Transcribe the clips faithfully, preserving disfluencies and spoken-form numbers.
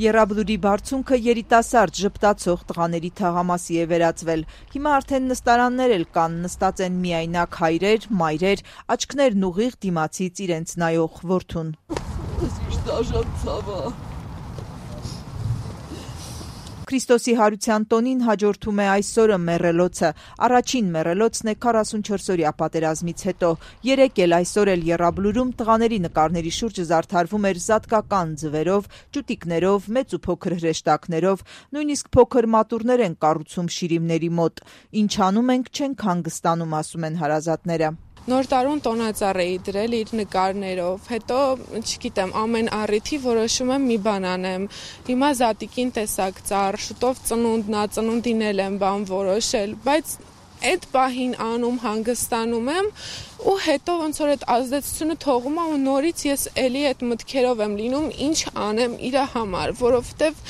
Եռաբլուրի բարձունքը երիտասարդ ժպտացող տղաների թաղամասի է վերածվել։ Հիմա արդեն նստարաններ էլ կան, նստած են միայնակ հայրեր, մայրեր, աչքներն ուղիղ դիմացից իրենց նայող որդուն։ Քրիստոսի հարության տոնին հաջորդում է այսօրը մեռելոցը։ Առաջին մեռելոցն է քառասունչորսօրյա պատերազմից հետո։ Երեկ էլ այսօր էլ Եռաբլուրում տղաների նկարների շուրջը զարդարվում էր զատկական ձվերով, ճուտիկներով, մեծ ու փոքր հրեշտակներով, նույնիսկ փոքր մատուռներ են կառուցում շիրիմների մոտ։ Ինչ անում ենք, չենք հանգստանում, ասում են հարազատները։ Նոր տարուն տոնածառ էի դրել իր նկարներով, հետո, չգիտեմ, ամեն առիթի որոշում եմ մի բան անեմ։ Հիմա զատիկին տեսակ ծառ, շուտով ծնունդն ա, ծնունդին էլ եմ բան որոշել, բայց այդ պահին անում, հանգստանում եմ ու հետո ոնց որ այդ ազդեցությունը թողում է ու նորից ես էլի այդ մտքերով եմ լինում, ինչ անեմ իր համար, որովհետև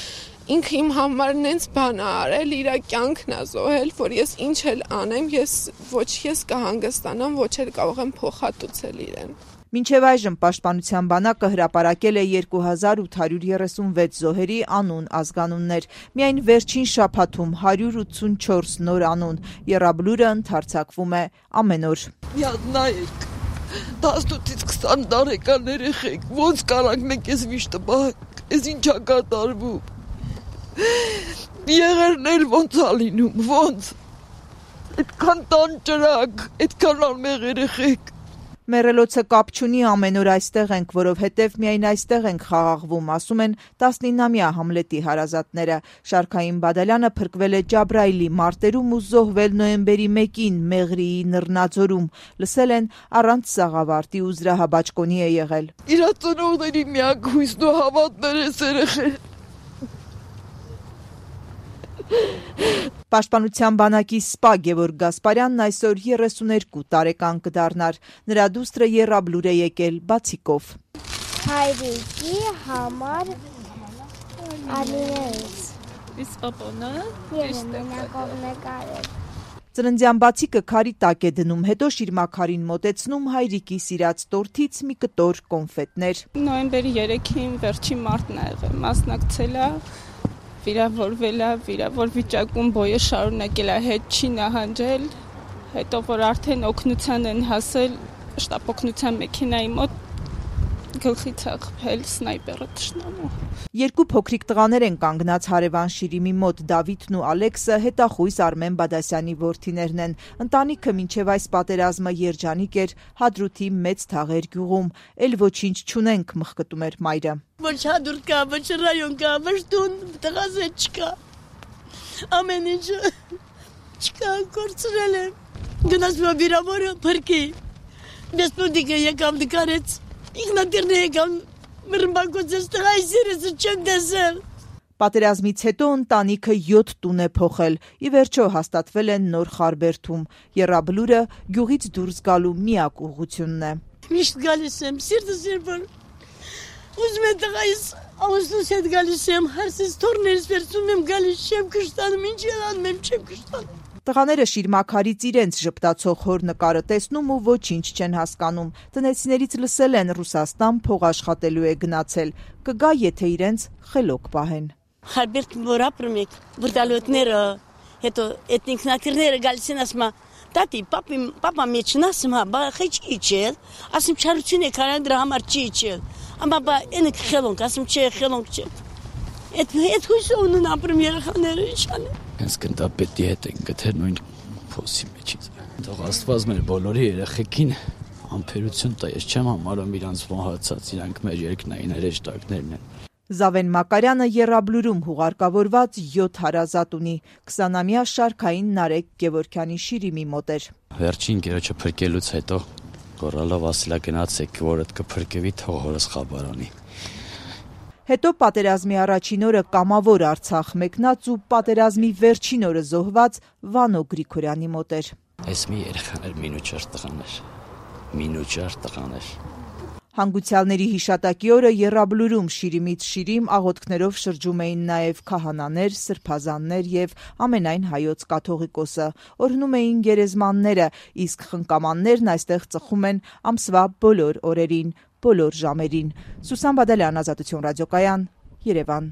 ինքը իմ համար նենց բան ա արել, իր կյանքն ա զոհել, որ ես ինչ էլ անեմ, ես ոչ ես կհանգստանամ, ոչ էլ կարող եմ փոխհատուցել իրեն։ Մինչև այժմ Պաշտպանության բանակը հրապարակել է երկու հազար ութ հարյուր երեսունվեց զոհերի անուն ազգանուններ։ Միայն վերջին շաբաթում հարյուր ութսունչորս նոր անուն։ Եռաբլուրը ընդարձակվում է ամեն օր։ Միած նայեք, տասնութից քսան տարեկան երեխեք, ոնց կարանք մենք ես վիշտը պահենք, ես ինչ ա կատարվում։ Եղերն էլ ոնց ա լինում, ոնց, այդքան տան ճրակ, այդքան անմեղ երեխեք։ Մեռելոցը կապ չունի, ամեն օր այստեղ ենք, որովհետև միայն այստեղ ենք խաղաղվում, ասում են տասնինամյա Համլետի հարազատները։ Շարքային Բադալյանը փրկվել է Ջաբրայիլի մարտերում ու զոհվել նոյեմբերի մեկին Մեղրիի Նռնաձորում։ Լսել են առանց սաղավարտի ու զրահաբաճկոնի է եղել։ Իրա ծնողների միակ հույսն ու հավատն էր էս երեխեն։ Պաշտպանության բանակի սպա Գևորգ Գասպարյանն այսօր երեսուներկու տարեկան կդառնար։ Նրա դուստրը Եռաբլուր է եկել բացիկով։ Հայրիկի համար Ալինեից։ Իսկ պապոնը Ես մենակով նկարել։ Ծննդյան բացիկը քարի տակ է դնում, հետո շիրմաքարին մոտեցնում հայրիկի սիրած տորթից մի կտոր կոնֆետներ։ Նոյեմբերի երեքին վերջին մարտն ա եղել, մասնակցել ա, վիրավորվել ա, վիրավոր վիճակում բոյը շարունակել ա, հետ չի նահանջել, հետո որ արդեն օգնության են հասել, շտապօգնության մեքենայի մոտ գլխից ա խփել սնայպերը թշնամու։ Երկու փոքրիկ տղաներ են կանգնած հարևան շիրիմի մոտ, Դավիթն ու Ալեքսը հետախույզ Արմեն Բադասյանի որդիներն են։ Ընտանիքը մինչև այս պատերազմը երջանիկ էր Հադրութի Մեծ Թաղեր գյուղում, էլ ոչինչ չունենք, մխկտում էր մայրը։ Ոչ Հադրութ կա, ոչ ռայոն կա, ոչ տուն, տղազ չկա։ Ամեն ինչ չկա, կորցրել եմ։ Գնաց մա վիրավորը փրկի։ Դեսպոտիկը եկավ նկարեց։ Ինքնատիրն եկավ մրմբակոծեց տղայի սիրեցը չեմ տեսել։ Պատերազմից հետո ընտանիքը յոթ տուն է փոխել, ի վերջո հաստատվել են նոր Խարբերդում։ Եռաբլուրը գյուղից դուրս գալու միակ ուղղությունն է։ Միշտ գալիս եմ, սիրտս երբար ուզում եմ տղայիս Ավոստոս հետ գալիս եմ, հարսից թորներից վերցում եմ, գալիս չեմ կշտանում, ինչ անում եմ, չեմ կշտանում։ Տղաները շիրմաքարից իրենց ժպտացող հոր նկարը տեսնում ու ոչինչ չեն հասկանում։ Տնեցիներից լսել են Ռուսաստան փող աշխատելու է գնացել, կգա, եթե իրենց խելոք պահեն։ Խարբերդ որ ապրում եք, վրդալոտները, հետո այդ ինքնատիրները գալիս են ասում, տատի, պապի, պապա մեջն ասում, հա, բա խիչ իջել, ասում չարություն եք արել, դրա համար չի իջել, ամա բա ենք խելոնք, ասում չէ, խելոնք չէ։ Այդ հույսով ունեն ապրում երեխաները, ինչ անեն։ Հենց գնդապետի հետ են գտել նույն փոսի մեջից։ Թող Աստված մեր բոլորի երեխեքին ամփերություն տա, ես չեմ համարում իրանց մոհացած, իրանք մեր երկնային հրեշտակներն են։ Զավեն Մակարյանը Եռաբլուրում հուղարկավորված յոթ հարազատ ունի, քսանամյա Շարքային Նարեկ Գևորգյանի շիրիմի մոտ էր։ Վերջին գերոջը փրկելուց հետո գոռալով ասելա գնացեք, որդ կփրկվի, թող հորս խաբարանի։ Հետո պատերազմի առաջին օրը կամավոր Արցախ մեկնած ու պատերազմի վերջին օրը զոհված Վանո Գրիգորյանի մոտ էր։ Այս մի երեխան էր, մինուճար տղան էր, մինուճար տղան էր։ Հանգուցյալների հիշատակի օրը Եռաբլուրում շիրիմից շիրիմ աղոթքներով շրջում էին նաև քահանաներ, սրբազաններ եւ ամենայն հայոց կաթողիկոսը։ Օրհնում էին գերեզմանները, իսկ խնկամաններն այստեղ ծխում են ամսվա բոլոր օրերին, բոլոր ժամերին։ Սուսան Բադալյան, Ազատություն ռադիոկայան, Երևան։